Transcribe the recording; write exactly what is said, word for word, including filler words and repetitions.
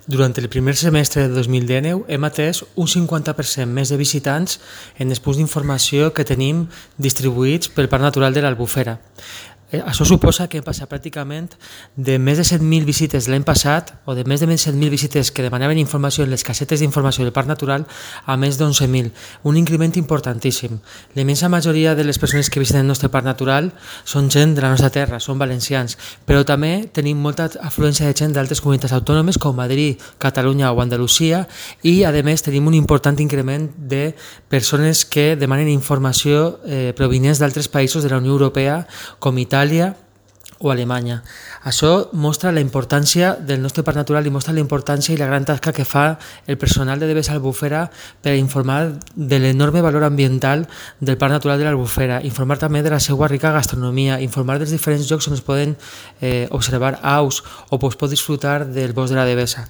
Durant el primer semestre de dos mil dinou hem atès un cinquanta per cent més de visitants en els punts d'informació que tenim distribuïts pel Parc Natural de l'Albufera. Això suposa que hem passat pràcticament de més de set mil visites l'any passat o de més de set mil visites que demanaven informació en les casetes d'informació del Parc Natural a més d'onze mil, un increment importantíssim. La immensa majoria de les persones que visiten el nostre Parc Natural són gent de la nostra terra, són valencians, però també tenim molta afluència de gent d'altres comunitats autònomes com Madrid, Catalunya o Andalusia i a més tenim un important increment de persones que demanen informació eh, provinents d'altres països de la Unió Europea com Itàlia o Alemanya. Això mostra la importància del nostre Parc Natural i mostra la importància i la gran tasca que fa el personal de D B S Albufera per informar de l'enorme valor ambiental del Parc Natural de l'Albufera, informar també de la seva rica gastronomia, informar dels diferents llocs on es poden eh, observar aus o es pot disfrutar del bosc de la Devesa.